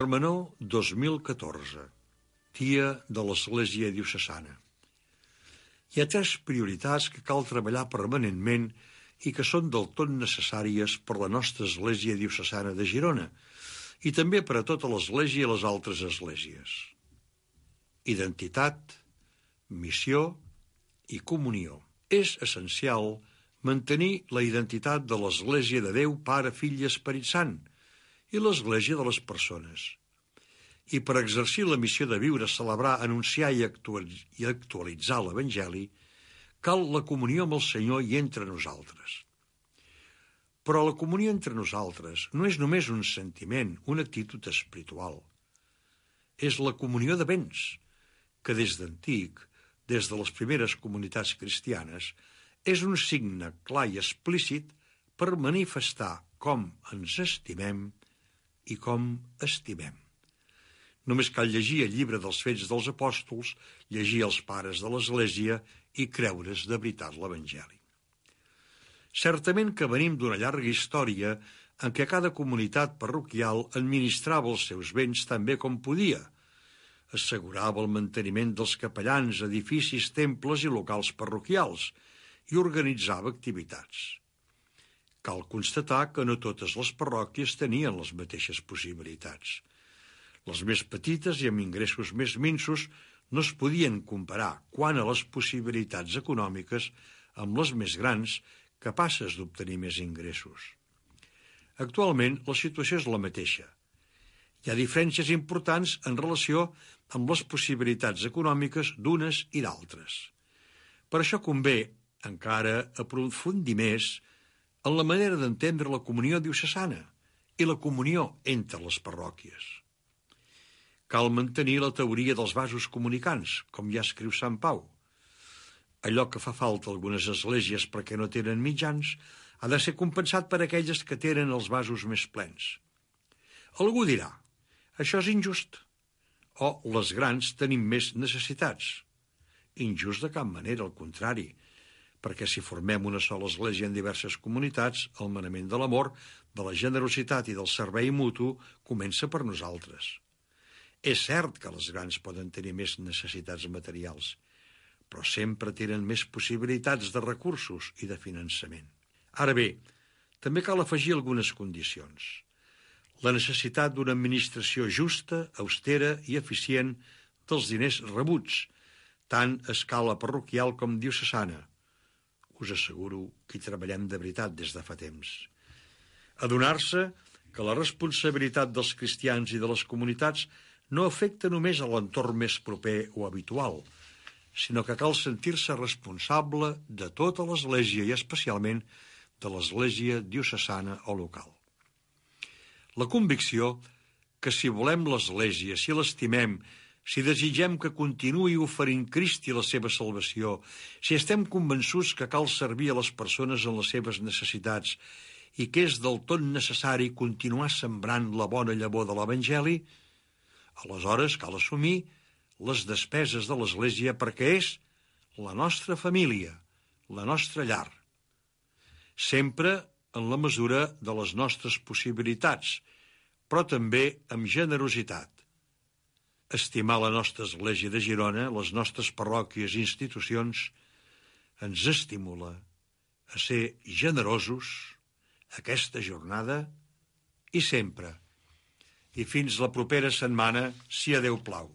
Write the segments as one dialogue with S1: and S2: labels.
S1: Termenó 2014, Dia de l'Església Diocesana. Hi ha 3 prioritats que cal treballar permanentment i que són del tot necessàries per la nostra Església Diocesana de Girona i també per a tota l'Església i les altres esglésies. Identitat, missió i comunió. És essencial mantenir la identitat de l'Església de Déu, Pare, Fill i Esperit Sant, i l'Església de les persones. I per exercir la missió de viure, celebrar, anunciar i actualitzar l'Evangeli, cal la comunió amb el Senyor i entre nosaltres. Però la comunió entre nosaltres no és només un sentiment, una actitud espiritual. És la comunió de béns, que des d'antic, des de les primeres comunitats cristianes, és un signe clar i explícit per manifestar com ens estimem i com estimem. Només cal llegir el llibre dels Fets dels Apòstols, llegir els pares de l'Església i creure's de veritat l'Evangeli. Certament que venim d'una llarga història en què cada comunitat parroquial administrava els seus béns tan bé com podia, assegurava el manteniment dels capellans, edificis, temples i locals parroquials i organitzava activitats. Cal constatar que no totes les parròquies tenien les mateixes possibilitats. Les més petites i amb ingressos més minsos no es podien comparar quant a les possibilitats econòmiques amb les més grans capaces d'obtenir més ingressos. Actualment la situació és la mateixa. Hi ha diferències importants en relació amb les possibilitats econòmiques d'unes i d'altres. Per això convé encara aprofundir més en la manera d'entendre la comunió diocesana i la comunió entre les parròquies. Cal mantenir la teoria dels vasos comunicants, com ja escriu Sant Pau. Allò que fa falta a algunes esglésies perquè no tenen mitjans ha de ser compensat per aquelles que tenen els vasos més plens. Algú dirà, això és injust, o les grans tenim més necessitats. Injust de cap manera, al contrari, perquè si formem una sola església en diverses comunitats, el manament de l'amor, de la generositat i del servei mutu comença per nosaltres. És cert que les grans poden tenir més necessitats materials, però sempre tenen més possibilitats de recursos i de finançament. Ara bé, també cal afegir algunes condicions. La necessitat d'una administració justa, austera i eficient dels diners rebuts, tant a escala parroquial com diocesana. Us asseguro que hi treballem de veritat des de fa temps. Adonar-se que la responsabilitat dels cristians i de les comunitats no afecta només a l'entorn més proper o habitual, sinó que cal sentir-se responsable de tota l'Església i especialment de l'Església diocesana o local. La convicció que si volem l'Església, si l'estimem, si desitgem que continuï oferint Crist i la seva salvació, si estem convençuts que cal servir a les persones en les seves necessitats i que és del tot necessari continuar sembrant la bona llavor de l'Evangeli, aleshores cal assumir les despeses de l'Església perquè és la nostra família, la nostra llar. Sempre en la mesura de les nostres possibilitats, però també amb generositat. Estimar la nostra Església de Girona, les nostres parròquies i institucions, ens estimula a ser generosos aquesta jornada i sempre. I fins la propera setmana, si a Déu plau.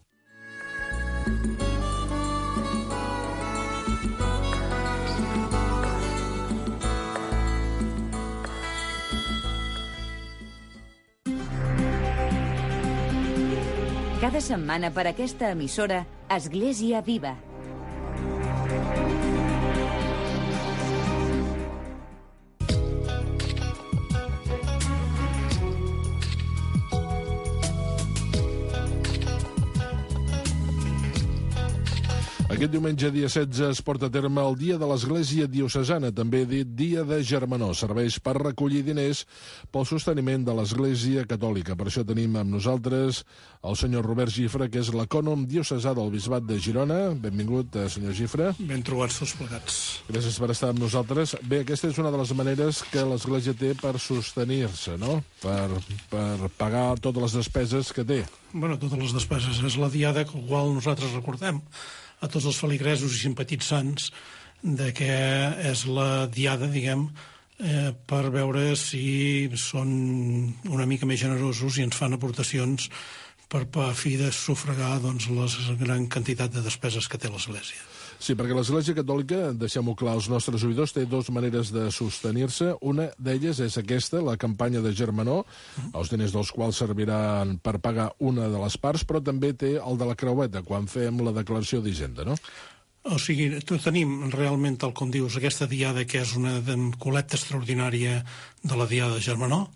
S2: Cada setmana per aquesta emissora, Església Viva.
S3: Aquest diumenge, dia 16, es porta a terme el Dia de l'Església Diocesana, també dit Dia de Germanor. Serveix per recollir diners pel sosteniment de l'Església Catòlica. Per això tenim amb nosaltres el senyor Robert Gifra, que és l'ecònom diocesà del Bisbat de Girona. Benvingut, senyor Gifra.
S4: Ben trobats tots plegats.
S3: Gràcies per estar amb nosaltres. Bé, aquesta és una de les maneres que l'Església té per sostenir-se, no? Per pagar totes les despeses que té.
S4: Bueno, totes les despeses. És la diada que qual nosaltres recordem a tots els feligresos i simpatitzants de que és la diada, diguem, per veure si són una mica més generosos i ens fan aportacions per a fi de sufragar doncs, la gran quantitat de despeses que té l'Església.
S3: Sí, perquè l'Església Catòlica, deixem-ho clar als nostres oïdors, té dues maneres de sostenir-se. Una d'elles és aquesta, la campanya de Germanor, els diners dels quals serviran per pagar una de les parts, però també té el de la creueta, quan fem la declaració d'Hisenda, no?
S4: O sigui, tenim realment, tal com dius, aquesta diada que és una col·lecta extraordinària de la diada de Germanor.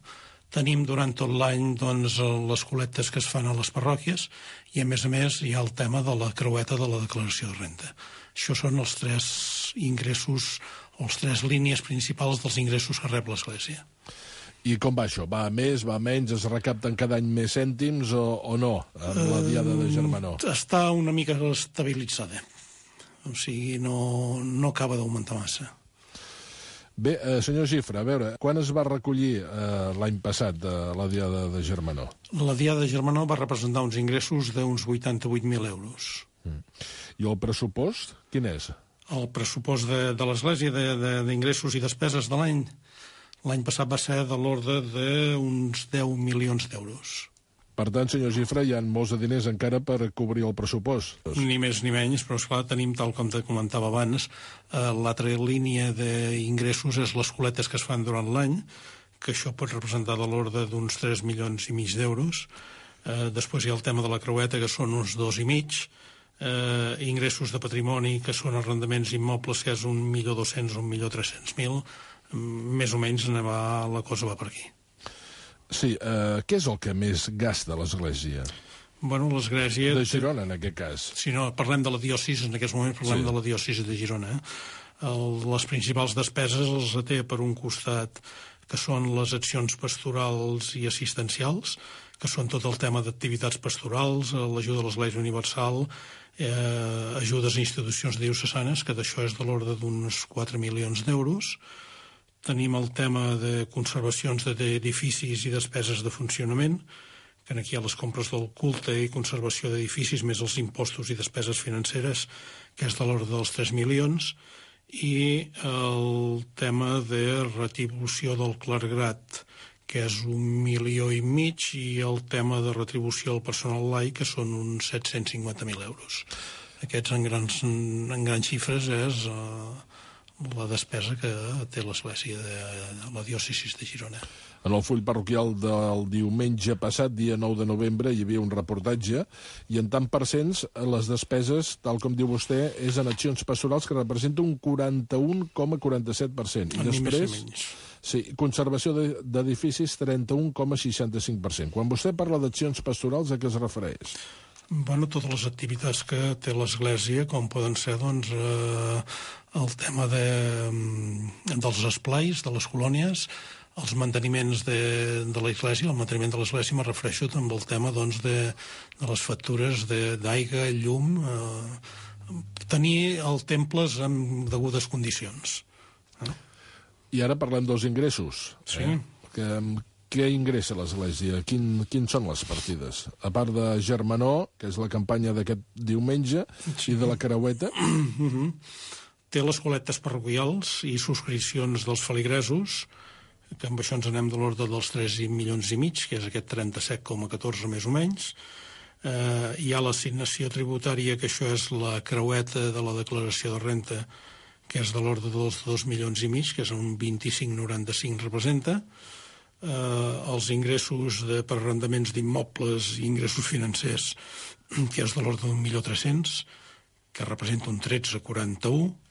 S4: Tenim durant tot l'any doncs, les col·lectes que es fan a les parròquies i, a més, hi ha el tema de la creueta de la declaració de renda. Això són els tres ingressos, o les tres línies principals dels ingressos que rep l'Església.
S3: I com va això? Va a més, va a menys? Es recapten cada any més cèntims o no, amb la diada de Germanor?
S4: Està una mica estabilitzada. O sigui, no acaba d'augmentar massa.
S3: Bé, senyor Gifra, a veure, quan es va recollir l'any passat la diada de Germanor?
S4: La diada de Germanor va representar uns ingressos d'uns 88.000 euros.
S3: I el pressupost, quin és?
S4: El pressupost de l'Església d'ingressos i despeses de l'any passat va ser de l'ordre d'uns 10 milions d'euros.
S3: Per tant, senyor Gifra, hi ha molts de diners encara per cobrir el pressupost.
S4: Ni més ni menys, però esclar, tenim, tal com te comentava abans, l'altra línia d'ingressos és les coletes que es fan durant l'any, que això pot representar de l'ordre d'uns 3 milions i mig d'euros. Després hi ha el tema de la creueta, que són uns 2,5, ingressos de patrimoni, que són arrendaments immobles, que és 1.200.000 o 1.300.000, més o menys la cosa va per aquí.
S3: Sí, què és el que més gasta l'Església?
S4: Bueno, l'Església...
S3: De Girona, en aquest cas.
S4: Si no, parlem de la diòcesi, en aquests moments parlem de la diòcesi de Girona. Les principals despeses les té per un costat, que són les accions pastorals i assistencials, que són tot el tema d'activitats pastorals, l'ajuda a l'Església Universal, ajudes a institucions diocesanes, que d'això és de l'ordre d'uns 4 milions d'euros. Tenim el tema de conservacions d'edificis i despeses de funcionament, que aquí hi ha les compres del culte i conservació d'edificis, més els impostos i despeses financeres, que és de l'ordre dels 3 milions, i el tema de retribució del clergat, que és 1,5 milions, i el tema de retribució al personal laic, que són uns 750.000 euros. Aquests, en grans xifres, és la despesa que té l'Església de la diòcesi de Girona.
S3: En el full parroquial del diumenge passat, dia 9 de novembre, hi havia un reportatge, i en tant per cents, les despeses, tal com diu vostè, és en accions pastorals que representa un 41,47%. I després, sí, conservació d'edificis, 31,65%. Quan vostè parla d'accions pastorals, a què es refereix?
S4: Bueno, totes les activitats que té l'Església, com poden ser, doncs, el tema dels esplais, de les colònies, els manteniments de l'Església, el manteniment de l'Església me refereixo amb el tema doncs, de les factures d'aigua, llum, tenir els temples en degudes condicions.
S3: I ara parlem dels ingressos.
S4: Sí.
S3: Què ingressa l'Església? Quins són les partides? A part de Germanor, que és la campanya d'aquest diumenge, i de la creueta...
S4: Té les col·lectes parroquials i subscripcions dels feligresos, que amb això ens anem de l'ordre dels 3 milions i mig, que és aquest 37,14 més o menys. Hi ha l'assignació tributària, que això és la creueta de la declaració de renta, que és de l'ordre dels 2 milions i mig, que és un 25,95 representa. Els ingressos per arrendaments d'immobles i ingressos financers, que és de l'ordre d'1.300.000, que representa un 13,41,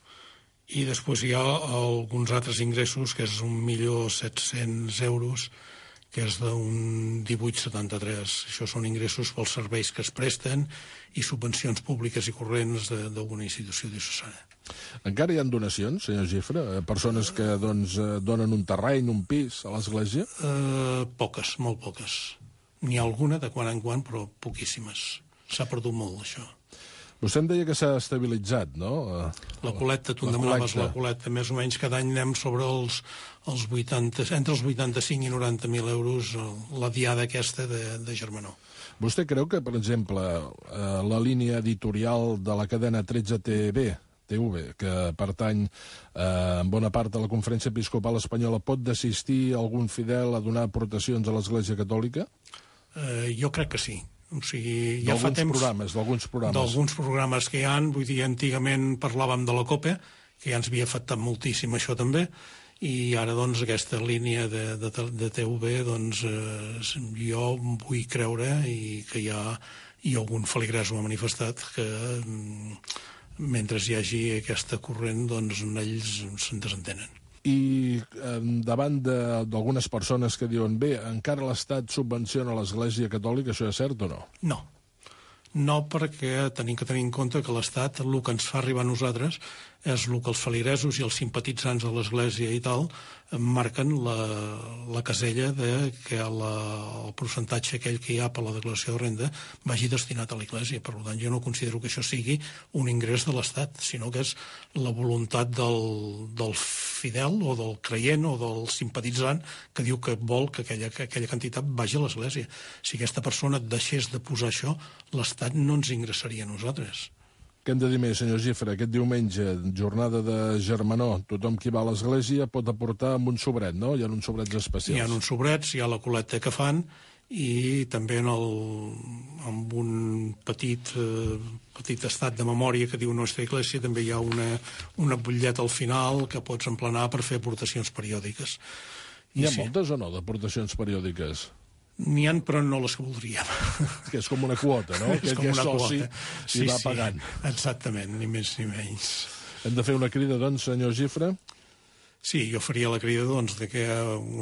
S4: i després hi ha alguns altres ingressos, que és 1.700.000 euros, que és d'un 18,73. Això són ingressos pels serveis que es presten i subvencions públiques i corrents d'alguna institució diocesana.
S3: Encara hi ha donacions, senyor Gifre? Persones que donen un terreny, un pis a l'església?
S4: Poques, molt poques. N'hi ha alguna de quan en quan, però poquíssimes. S'ha perdut molt, això.
S3: Vostè em deia que s'ha estabilitzat, no?
S4: La col·lecta, tu em demanaves la col·lecta. Més o menys cada any anem sobre els 80, entre els 85 i 90.000 euros la diada aquesta de Germanó.
S3: Vostè creu que, per exemple, la línia editorial de la cadena 13TV, que pertany en bona part a la Conferència Episcopal Espanyola, pot desistir algun fidel a donar aportacions a l'Església Catòlica?
S4: Jo crec que sí. O sigui, ja fa temps...
S3: D'alguns programes.
S4: D'alguns programes que hi ha, vull dir, antigament parlàvem de la COPE, que ja ens havia afectat moltíssim això també, i ara, doncs, aquesta línia de TV, doncs, jo vull creure i que hi ha, i algun feligrès ho ha manifestat, que mentre hi hagi aquesta corrent, doncs, ells se'n desentenen.
S3: I davant d'algunes persones que diuen bé, encara l'Estat subvenciona l'Església Catòlica, això és cert o no?
S4: No. No, perquè tenim que tenir en compte que l'Estat, el que ens fa arribar a nosaltres, és el que els feligresos i els simpatitzants de l'Església i tal marquen la casella de que el percentatge aquell que hi ha per la declaració de renda vagi destinat a l'Església. Per tant, jo no considero que això sigui un ingrés de l'Estat, sinó que és la voluntat del fidel o del creient o del simpatitzant que diu que vol que aquella quantitat vagi a l'Església. Si aquesta persona deixés de posar això, l'Estat no ens ingressaria a nosaltres.
S3: Què hem de dir més, senyor Gifre? Aquest diumenge, jornada de Germanó, tothom qui va a l'església pot aportar amb un sobret, no? Hi ha uns sobrets especials.
S4: Hi ha uns sobrets, hi ha la col·lecta que fan, i també amb un petit estat de memòria que diu Nostra Iglesia també hi ha una butlleta al final que pots emplenar per fer aportacions periòdiques.
S3: N'hi ha moltes o no, d'aportacions periòdiques?
S4: N'hi ha, però no les que voldríem.
S3: Que és com una quota, no?
S4: És com una quota.
S3: I va pagant.
S4: Exactament, ni més ni menys.
S3: Hem de fer una crida, doncs, senyor Gifre?
S4: Sí, jo faria la crida de que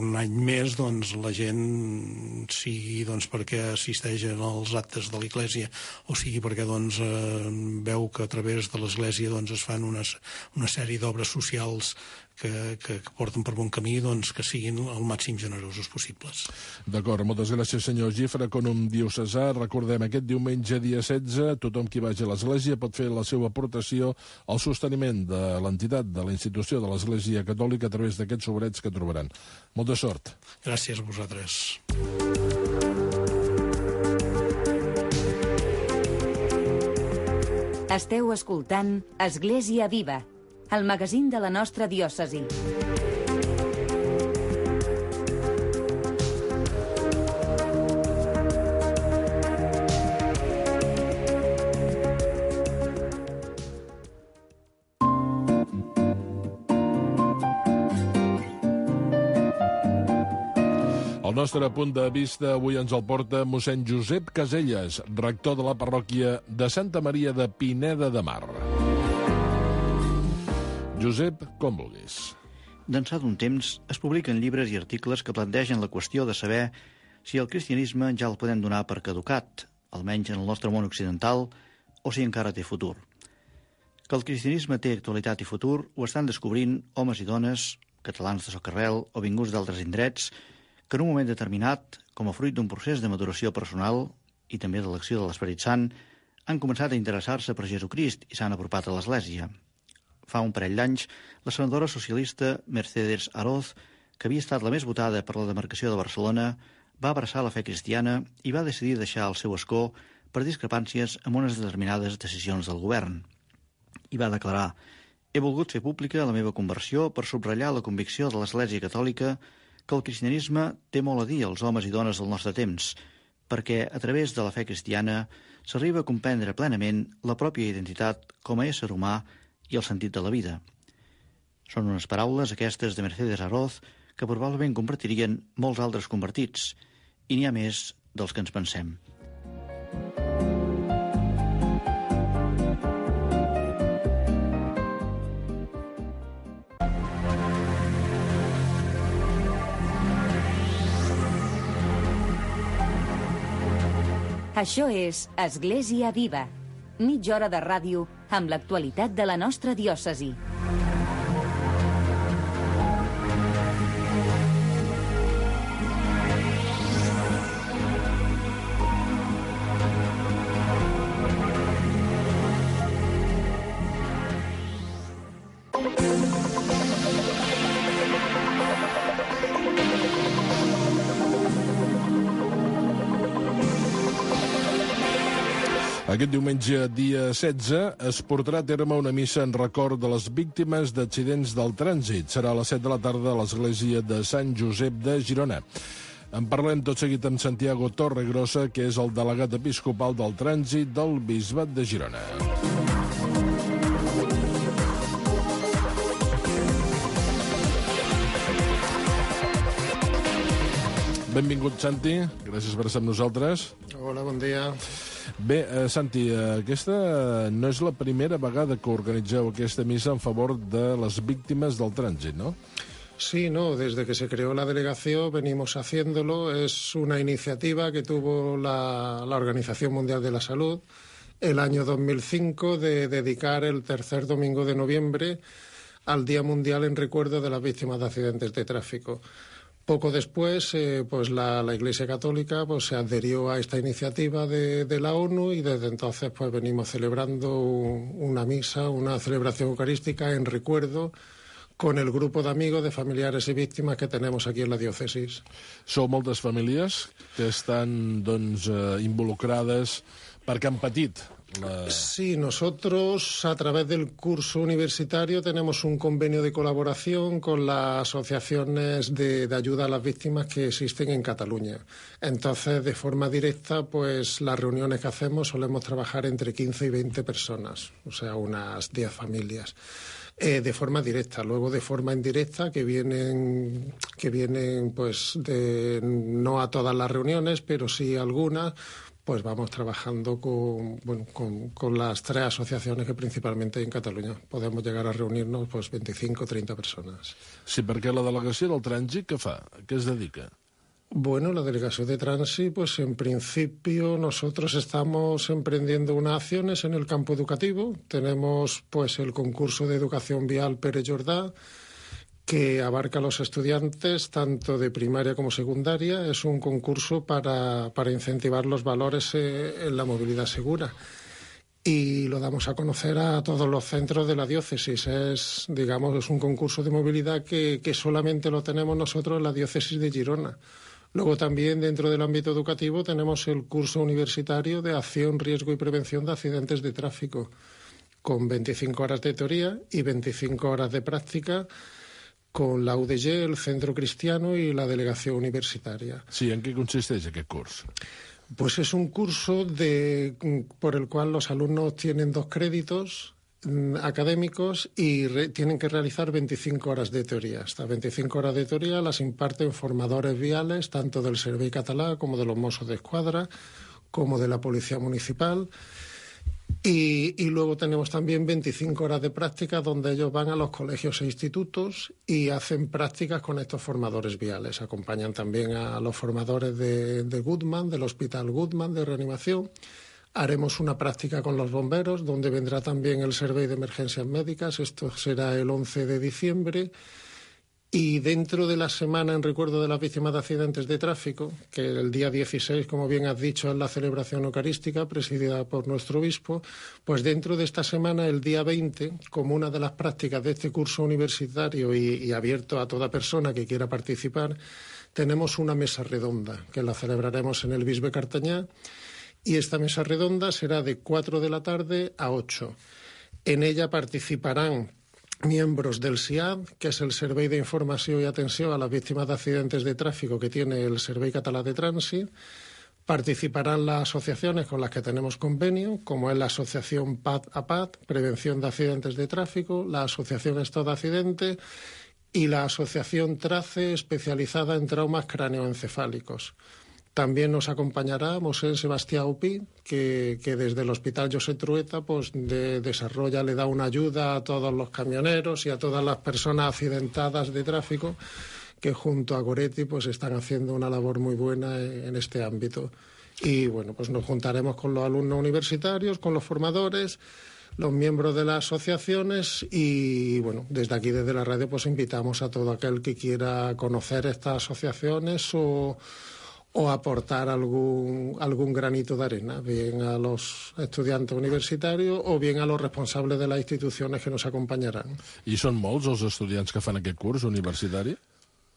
S4: un any més la gent sigui perquè assisteix als actes de l'Església o sigui perquè veu que a través de l'Església es fan una sèrie d'obres socials que porten per bon camí, que siguin el màxim generosos possibles.
S3: D'acord, moltes gràcies, senyor Gifre. Conum diocesà, recordem, aquest diumenge, dia 16, tothom qui vagi a l'Església pot fer la seva aportació al sosteniment de l'entitat, de la institució de l'Església Catòlica a través d'aquests sobrets que trobaran. Molta sort.
S4: Gràcies a vosaltres.
S2: Esteu escoltant Església Viva, el magazín de la nostra diòcesi.
S3: El nostre punt de vista avui ens el porta mossèn Josep Caselles, rector de la parròquia de Santa Maria de Pineda de Mar. Josep, com vulguis.
S5: D'ençà d'un temps es publiquen llibres i articles que plantegen la qüestió de saber si el cristianisme ja el podem donar per caducat, almenys en el nostre món occidental, o si encara té futur. Que el cristianisme té actualitat i futur ho estan descobrint homes i dones, catalans de socarrel o vinguts d'altres indrets, que en un moment determinat, com a fruit d'un procés de maduració personal i també de l'acció de l'Esperit Sant, han començat a interessar-se per Jesucrist i s'han apropat a l'Església. Fa un parell d'anys, la senadora socialista Mercedes Aroz, que havia estat la més votada per la demarcació de Barcelona, va abraçar la fe cristiana i va decidir deixar el seu escó per discrepàncies amb unes determinades decisions del govern. I va declarar: «He volgut fer pública la meva conversió per subratllar la convicció de l'Església Catòlica que el cristianisme té molt a dir als homes i dones del nostre temps, perquè a través de la fe cristiana s'arriba a comprendre plenament la pròpia identitat com a ésser humà i el sentit de la vida». Són unes paraules, aquestes de Mercedes Aroz, que probablement compartirien molts altres convertits, i n'hi ha més dels que ens pensem.
S2: Això és Església Viva. Mitja hora de ràdio amb l'actualitat de la nostra diòcesi.
S3: Aquest diumenge, dia 16, es portarà a terme una missa en record de les víctimes d'accidents del trànsit. Serà a les 7 de la tarda a l'església de Sant Josep de Girona. En parlem tot seguit amb Santiago Torregrossa, que és el delegat episcopal del trànsit del Bisbat de Girona. Benvingut, Santi. Gràcies per estar amb nosaltres.
S6: Hola, bon dia.
S3: Bé, Santi, aquesta no és la primera vegada que organitzeu aquesta missa en favor de les víctimes del trànsit, ¿no?
S6: Sí, no, desde que se creó la delegación venimos haciéndolo. Es una iniciativa que tuvo la Organización Mundial de la Salud el año 2005 de dedicar el tercer domingo de noviembre al Día Mundial en recuerdo de las víctimas de accidentes de tráfico. Poco después, pues la Iglesia Católica pues se adherió a esta iniciativa de la ONU y desde entonces pues venimos celebrando una misa, una celebración eucarística en recuerdo con el grupo de amigos, de familiares y víctimas que tenemos aquí en la diócesis.
S3: Sou moltes famílies que estan, doncs, involucrades perquè han patit
S6: Sí, nosotros a través del curso universitario tenemos un convenio de colaboración con las asociaciones de ayuda a las víctimas que existen en Cataluña. Entonces, de forma directa, pues las reuniones que hacemos solemos trabajar entre 15 y 20 personas, o sea, unas 10 familias. De forma directa, luego de forma indirecta que vienen pues no a todas las reuniones, pero sí algunas. Pues vamos trabajando con las 3 asociaciones que principalmente en Cataluña podemos llegar a reunirnos pues 25 o 30 personas.
S3: Sí, perquè la delegació del trànsit què fa? ¿A qué es dedica?
S6: Bueno, la delegación de Transi, pues en principio nosotros estamos emprendiendo unas acciones en el campo educativo. Tenemos pues el concurso de educación vial Pere Jordà, que abarca a los estudiantes tanto de primaria como secundaria. Es un concurso para incentivar los valores en la movilidad segura. Y lo damos a conocer a todos los centros de la diócesis. Es un concurso de movilidad que solamente lo tenemos nosotros en la diócesis de Girona. Luego también dentro del ámbito educativo tenemos el curso universitario de acción, riesgo y prevención de accidentes de tráfico, con 25 horas de teoría y 25 horas de práctica, con la UDG, el Centro Cristiano y la Delegación Universitaria.
S3: Sí, ¿en qué consiste aquest curs?
S6: Pues es un curso por el cual los alumnos tienen 2 créditos académicos y tienen que realizar 25 horas de teoría. Estas 25 horas de teoría las imparten formadores viales, tanto del Servei Català como de los Mossos d'Esquadra, como de la Policía Municipal. Y luego tenemos también 25 horas de práctica donde ellos van a los colegios e institutos y hacen prácticas con estos formadores viales. Acompañan también a los formadores de Goodman, del Hospital Goodman de reanimación. Haremos una práctica con los bomberos donde vendrá también el Servei de Emergencias Médicas. Esto será el 11 de diciembre. Y dentro de la semana en recuerdo de las víctimas de accidentes de tráfico, que el día 16, como bien has dicho, es la celebración eucarística presidida por nuestro obispo, pues dentro de esta semana, el día 20, como una de las prácticas de este curso universitario y abierto a toda persona que quiera participar, tenemos una mesa redonda que la celebraremos en el Bisbe Cartanyà, y esta mesa redonda será de 4 de la tarde a 8. En ella participarán miembros del SIAD, que es el Servei de Información y Atención a las Víctimas de Accidentes de Tráfico que tiene el Servei Català de Trànsit. Participarán las asociaciones con las que tenemos convenio, como es la Asociación PAD-APAD, Prevención de Accidentes de Tráfico, la Asociación Estado de Accidente y la Asociación TRACE, especializada en traumas cráneoencefálicos. También nos acompañará Mosén Sebastià Upí, que desde el Hospital Josep Trueta pues le da una ayuda a todos los camioneros y a todas las personas accidentadas de tráfico que junto a Goretti pues están haciendo una labor muy buena en este ámbito. Y bueno, pues nos juntaremos con los alumnos universitarios, con los formadores, los miembros de las asociaciones y, bueno, desde aquí, desde la radio, pues invitamos a todo aquel que quiera conocer estas asociaciones o aportar algún granito de arena, bien a los estudiantes universitarios o bien a los responsables de las instituciones que nos acompañarán.
S3: I són molts els estudiants que fan aquest curs universitari?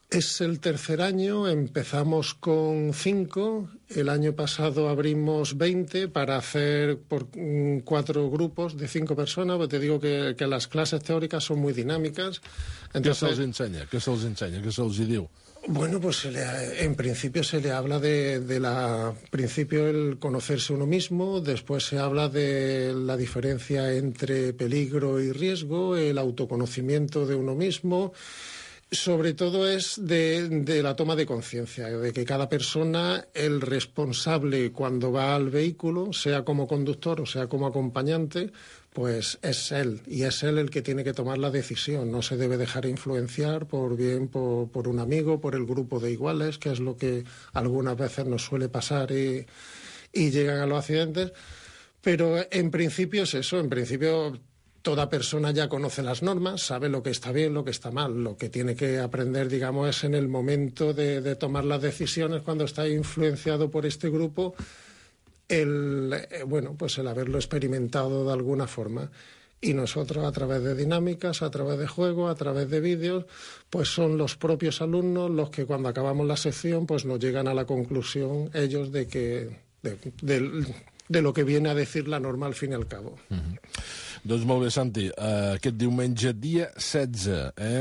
S6: Es el tercer año, empezamos con 5, el año pasado abrimos 20 para hacer por 4 grupos de 5 personas, porque te digo que las clases teóricas son muy dinámicas.
S3: Entonces, ¿qué se'ls ensenya? ¿Qué se'ls diu?
S6: Bueno, pues en principio se le habla principio el conocerse uno mismo, después se habla de la diferencia entre peligro y riesgo, el autoconocimiento de uno mismo. Sobre todo es de la toma de conciencia, de que cada persona, el responsable cuando va al vehículo, sea como conductor o sea como acompañante, pues es él, y es él el que tiene que tomar la decisión. No se debe dejar influenciar por un amigo, por el grupo de iguales, que es lo que algunas veces nos suele pasar y llegan a los accidentes. Pero en principio es eso, en principio toda persona ya conoce las normas, sabe lo que está bien, lo que está mal. Lo que tiene que aprender, digamos, es en el momento de tomar las decisiones, cuando está influenciado por este grupo, el haberlo experimentado de alguna forma. Y nosotros, a través de dinámicas, a través de juegos, a través de vídeos, pues son los propios alumnos los que, cuando acabamos la sección, pues nos llegan a la conclusión ellos de lo que viene a decir la norma al fin y al cabo.
S3: Doncs molt bé, Santi. Aquest diumenge, dia 16,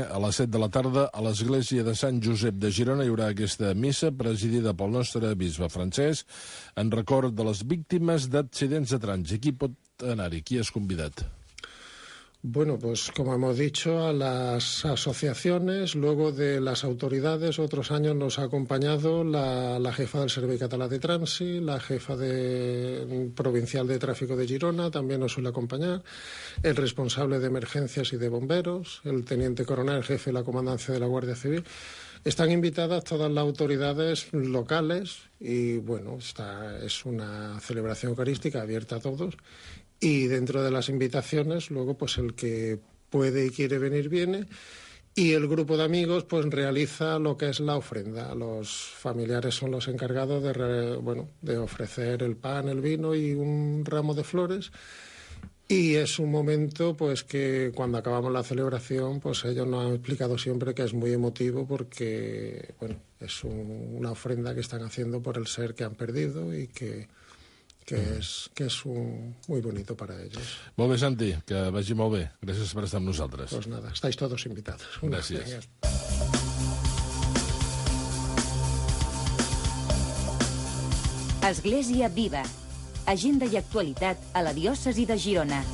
S3: a les 7 de la tarda, a l'església de Sant Josep de Girona hi haurà aquesta missa presidida pel nostre bisbe Francesc en record de les víctimes d'accidents de trànsit. Qui pot anar-hi? Qui és convidat?
S6: Bueno, pues como hemos dicho, a las asociaciones, luego de las autoridades, otros años nos ha acompañado la jefa del Servei Català de Trànsit, la jefa provincial de tráfico de Girona, también nos suele acompañar, el responsable de emergencias y de bomberos, el teniente coronel, jefe de la comandancia de la Guardia Civil. Están invitadas todas las autoridades locales y, bueno, es una celebración eucarística abierta a todos. Y dentro de las invitaciones, luego, pues el que puede y quiere venir, viene. Y el grupo de amigos, pues realiza lo que es la ofrenda. Los familiares son los encargados de ofrecer el pan, el vino y un ramo de flores. Y es un momento, pues, que cuando acabamos la celebración, pues ellos nos han explicado siempre que es muy emotivo porque, bueno, es una ofrenda que están haciendo por el ser que han perdido y que és muy bonito para ellos.
S3: Molt bé, Santi, que vagi molt bé. Gràcies per estar amb nosaltres.
S6: Pues nada, estáis todos invitados.
S3: Gràcies.
S2: Església Viva. Agenda i actualitat a la diòcesi de Girona.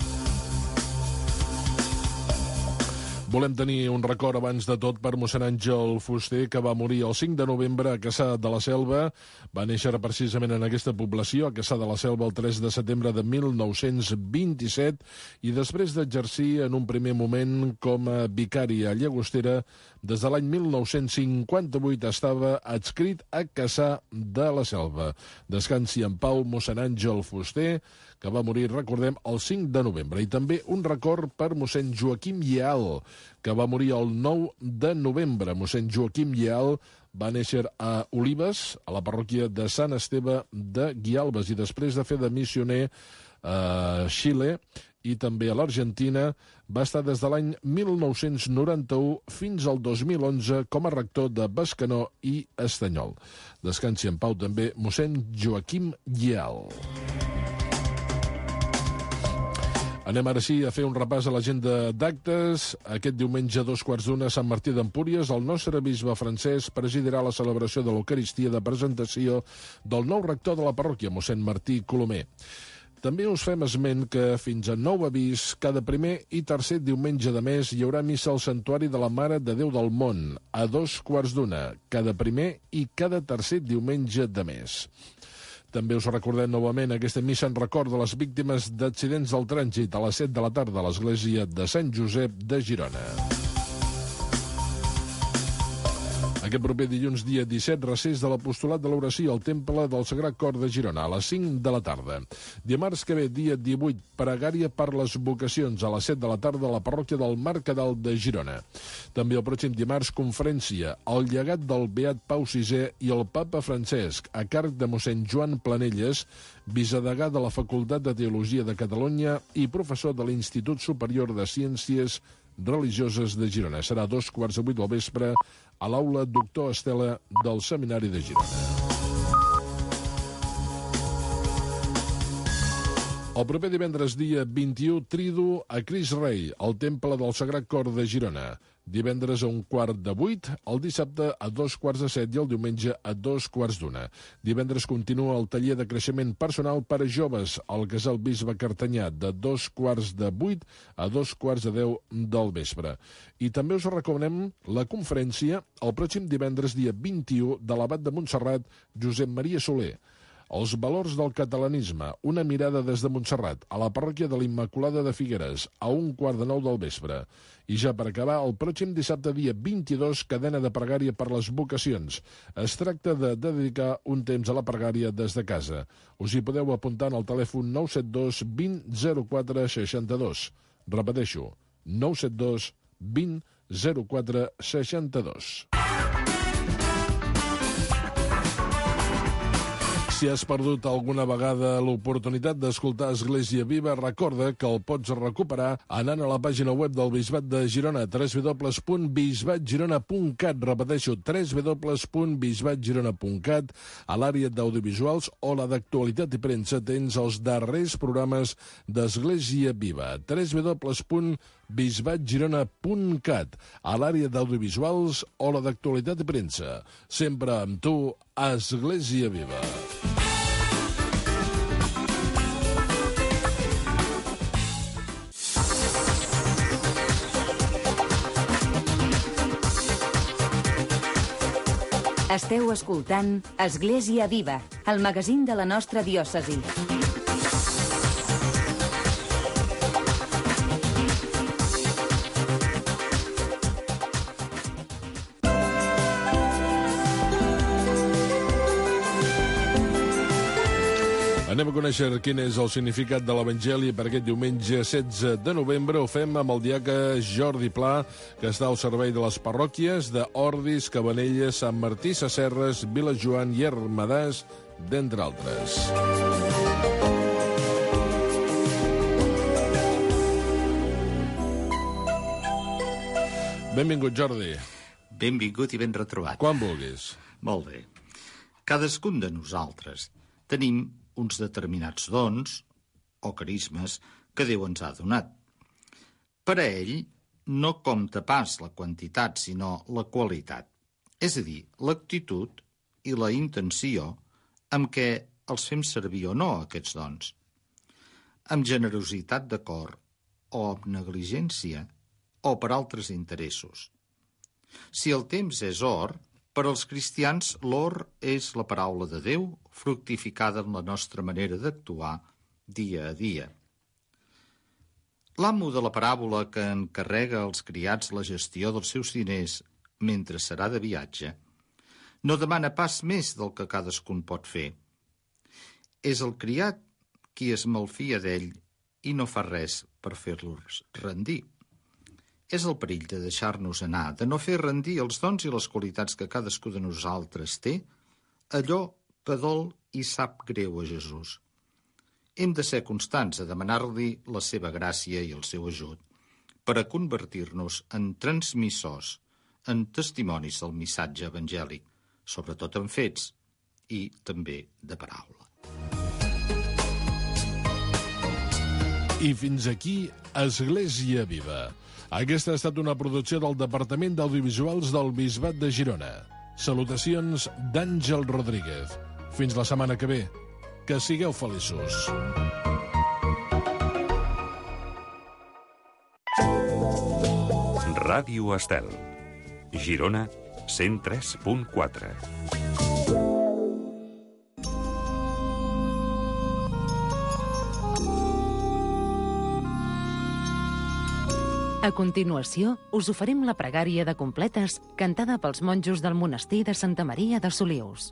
S3: Volem tenir un record abans de tot per mossèn Àngel Fuster, que va morir el 5 de novembre a Cassà de la Selva. Va néixer precisament en aquesta població, a Cassà de la Selva, el 3 de setembre de 1927, i després d'exercir en un primer moment com a vicari a Llagostera, des de l'any 1958 estava adscrit a Cassà de la Selva. Descansi en pau mossèn Àngel Fuster, que va morir, recordem, el 5 de novembre. I també un record per mossèn Joaquim Lleal, que va morir el 9 de novembre. Mossèn Joaquim Lleal va néixer a Olives, a la parròquia de Sant Esteve de Guialbes, i després de fer de missioner a Xile i també a l'Argentina, va estar des de l'any 1991 fins al 2011 com a rector de Bescanó i Estanyol. Descansi en pau també mossèn Joaquim Lleal. Anem ara sí a fer un repàs a l'agenda d'actes. Aquest diumenge a 2:15 a Sant Martí d'Empúries, el nostre bisbe Francesc presidirà la celebració de l'Eucaristia de presentació del nou rector de la parròquia, mossèn Martí Colomer. També us fem esment que fins a nou avís, cada primer i tercer diumenge de mes hi haurà missa al Santuari de la Mare de Déu del Món, a 2:15, cada primer i cada tercer diumenge de mes. També us recordem novament aquesta missa en record de les víctimes d'accidents del trànsit a les 7 de la tarda a l'església de Sant Josep de Girona. Aquest proper dilluns, dia 17, recés de l'Apostolat de l'Oració al Temple del Sagrat Cor de Girona, a les 5 de la tarda. Dimarts que ve, dia 18, pregària per les vocacions, a les 7 de la tarda, a la parròquia del Mercadal de Girona. També el pròxim dimarts, conferència, el llegat del Beat Pau VI i el Papa Francesc, a càrrec de mossèn Joan Planelles, vicedegà de la Facultat de Teologia de Catalunya i professor de l'Institut Superior de Ciències Religioses de Girona. Serà a 7:15 del vespre a l'aula Doctor Estela del Seminari de Girona. El proper divendres, dia 21, trido a Cris Rei, al Temple del Sagrat Cor de Girona. Divendres a 7:15, el dissabte a 7:15 i el diumenge a 2:15. Divendres continua el taller de creixement personal per a joves al Casal Bisbe Cartanyà, de 7:15 a 7:15 del vespre. I també us recomanem la conferència el pròxim divendres, dia 21, de l'abat de Montserrat, Josep Maria Soler. Els valors del catalanisme, una mirada des de Montserrat, a la parròquia de l'Immaculada de Figueres, a 8:15 del vespre. I ja per acabar, el pròxim dissabte, dia 22, cadena de pregària per les vocacions. Es tracta de dedicar un temps a la pregària des de casa. Us hi podeu apuntar en el telèfon 972 20 04 62. Repeteixo, 972 20 04 62. Si has perdut alguna vegada l'oportunitat d'escoltar Església Viva, recorda que el pots recuperar anant a la pàgina web del Bisbat de Girona, www.bisbatgirona.cat. Repeteixo, www.bisbatgirona.cat. A l'àrea d'audiovisuals o la d'actualitat i premsa tens els darrers programes d'Església Viva. www.bisbatgirona.cat. A l'àrea d'audiovisuals o la d'actualitat i premsa. Sempre amb tu, Església Viva.
S2: Esteu escoltant Església Viva, el magazín de la nostra diòcesi.
S3: Anem a conèixer quin és el significat de l'Evangeli per aquest diumenge 16 de novembre. Ho fem amb el diaca Jordi Pla, que està al servei de les parròquies d'Ordis, Cabanelles, Sant Martí, Sesserres, Vilajoan i Ermedàs, d'entre altres. Benvingut, Jordi.
S7: Benvingut i ben retrobat.
S3: Quan vulguis.
S7: Molt bé. Cadascun de nosaltres tenim uns determinats dons o carismes que Déu ens ha donat. Per a ell no compta pas la quantitat, sinó la qualitat. És a dir, l'actitud i la intenció amb què els fem servir o no, aquests dons. Amb generositat de cor o amb negligència o per altres interessos. Si el temps és or, per als cristians, l'or és la paraula de Déu, fructificada en la nostra manera d'actuar dia a dia. L'amo de la paràbola que encarrega als criats la gestió dels seus diners mentre serà de viatge no demana pas més del que cadascun pot fer. És el criat qui es malfia d'ell i no fa res per fer-los rendir. És el perill de deixar-nos anar, de no fer rendir els dons i les qualitats que cadascú de nosaltres té, allò que dol i sap greu a Jesús. Hem de ser constants a demanar-li la seva gràcia i el seu ajut per a convertir-nos en transmissors, en testimonis del missatge evangèlic, sobretot en fets i també de paraula.
S3: I fins aquí, Església Viva. Aquesta ha estat una producció del Departament d'Audiovisuals del Bisbat de Girona. Salutacions d'Àngel Rodríguez. Fins la setmana que ve. Que sigueu feliços.
S8: Ràdio Estel. Girona 103.4.
S9: A continuació, us oferim la pregària de completes cantada pels monjos del monestir de Santa Maria de Solius.